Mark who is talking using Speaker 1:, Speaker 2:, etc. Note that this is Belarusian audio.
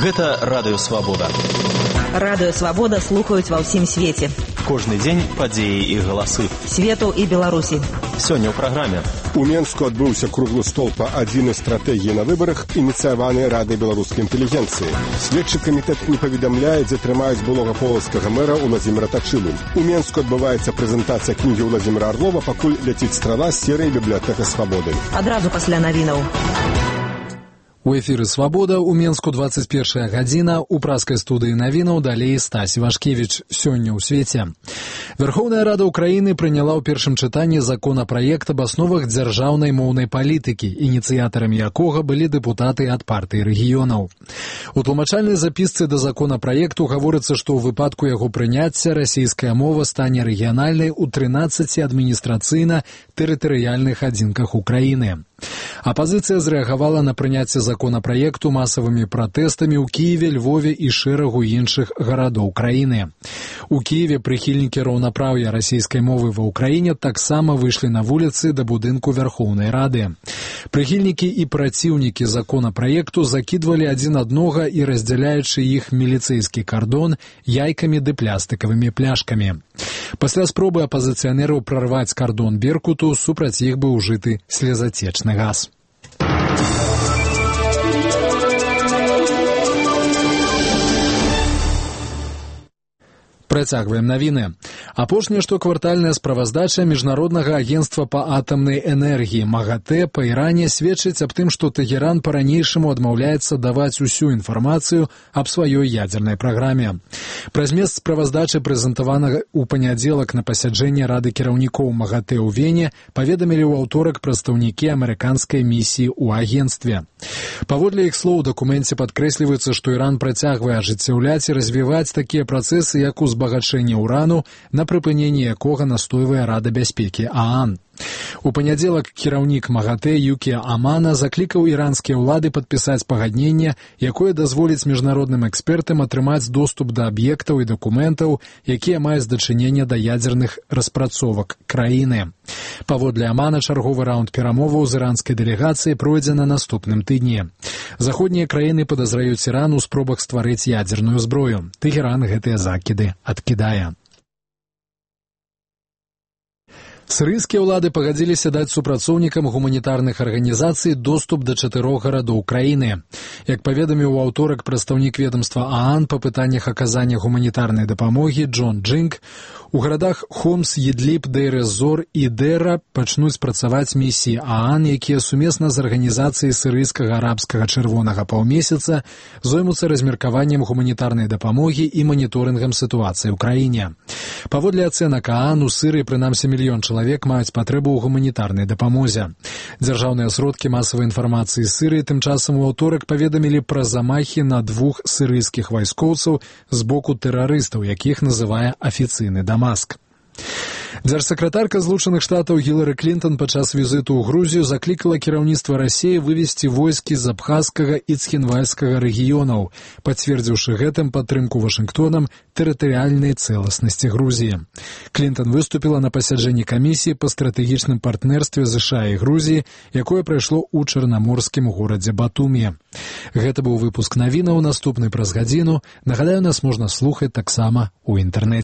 Speaker 1: Гэта Радыё Свабода.
Speaker 2: Радыё Свабода слухаюць ва ўсім свеце.
Speaker 1: Кожны дзень падзеі і галасы.
Speaker 2: Свету і Беларусі.
Speaker 1: Сёння ў праграме.
Speaker 3: У Менску адбыўся круглы стол па адзінай стратэгіі на выбарах, ініцыяванай Радай беларускай інтэлігенцыі. Следчы камітэт не паведамляе, дзе трымаюць былога полацкага мэра Уладзіміра Тачылу. У Менску адбываецца прэзентацыя кнігі Уладзіміра Арлова, пакуль ляціць страла з серыі «Бібліятэка Свабоды».
Speaker 2: Адразу пасля навінаў.
Speaker 4: У эфіры «Свабода» у Менску 21 гадзіна, у праскай студыі навінаў далей Стась Вашкевіч. Сёння ў свеце. Верховная Рада Украіны прыняла ў першым чытанні законапраект аб асновах дзяржаўнай моўнай палітыкі, ініцыятарамі якога былі дэпутаты ад партыі рэгіёнаў. У тлумачальнай запісцы да законапраекту гаворыцца, што ў выпадку яго прыняцця расійская мова стане рэгіянальнай у 13 адміністрацыйна-тэрытарыяльных адзінках Украіны. Апазіцыя зрэагавала на прыняцце законапраекту масавымі пратэстамі ў Кіеве, Львове і шэрагу іншых гарадоў краіны. У Кіеве прыхільнікі раўнапраўя расійскай мовы ва ўкраіне таксама выйшлі на вуліцы да будынку Верхоўнай Рады. Прыхільнікі і праціўнікі законапраекту закідвалі адзін аднога і раздзяляючы іх міліцэйскі кардон яйкамі ды плястыкавымі пляшкамі. Пасля спробы апазіцыянераў прарваць кардон Беркуту супраць іх быў ужыты слезацечны газ. Працягваем навіны. Апошняя штоквартальная справаздача Міжнароднага агенцтва па атамнай энергіі МАГАТЭ па Іране сведчыць аб тым, што Тэгеран па-ранейшаму адмаўляецца даваць усю інфармацыю аб сваёй ядзернай праграме. Пра змест справаздачы, прэзентаванага ў панядзелак на пасяджэнні Рады кіраўнікоў МАГАТЭ ў Вене, паведамілі ў аўторак прадстаўнікі амерыканскай місіі ў агенцтве. Паводле іх слоў у дакуменце падкрэсліваецца, што Іран працягвае ажыццяўляць і развіваць такія працэсы, як узбагачэнне ўрану, на прыпыненне якога настойвае Рада бяспекі ААН. У панядзелак кіраўнік МАГАТЭ Юкія Амана заклікаў іранскія ўлады падпісаць пагадненне, якое дазволіць міжнародным экспертам атрымаць доступ да аб'ектаў і дакументаў, якія маюць дачыненне да ядзерных распрацовак краіны. Паводле Амана чарговы раунд перамоваў з іранскай дэлегацыяй пройдзе на наступным тыдні. Заходнія краіны падазраюць Іран у спробах стварыць ядзерную зброю. Тэгеран гэтыя закіды адкідае. Сірыйскія ўлады пагадзіліся даць супрацоўнікам гуманітарных арганізацый доступ да 4 гарадоў краіны. Як паведаміў у аўторак прадстаўнік ведомства ААН па пытаннях аказання гуманітарнай дапамогі Джон Джинг, у гарадах Хомс, Ідліб, Дейр-эз-Зор і Дера пачнуць працаваць місіі ААН, якія сумесна з арганізацыяй сірыйскага арабскага чырвонага паўмесяца зоймуцца размеркаваннем гуманітарнай дапамогі і маніторынгам сітуацыі ў краіне. Паводле ацэнак ААН у Сірыі прынамсі мільён чалавек маюць патрэбу ў гуманітарнай дапамозе. Дзяржаўныя сродкі масавай інфармацыі Сірыі тым часам у аўторак паведамілі пра замахі на 2 сірыйскіх вайскоўцаў з боку тэрарыстаў, якіх называе афіцыйны Дамаск. Дзяржсакратарка Злучаных Штатаў Гілары Клінтон падчас візіту ў Грузію заклікала кіраўніцтва Расіі вывесці войскі з абхазскага і цхінвальскага рэгіёнаў, пацвердзіўшы гэтым падтрымку Вашынгтонам тэрытарыяльнай цэласнасці Грузіі. Клінтон выступіла на пасяджэнні камісіі па стратэгічным партнерстве США і Грузіі, якое прайшло ў чарнаморскім горадзе Батумі. Гэта быў выпуск навінаў, наступны праз гадзіну. Нагадаю, нас можна слухаць таксама ў інтэрнэце.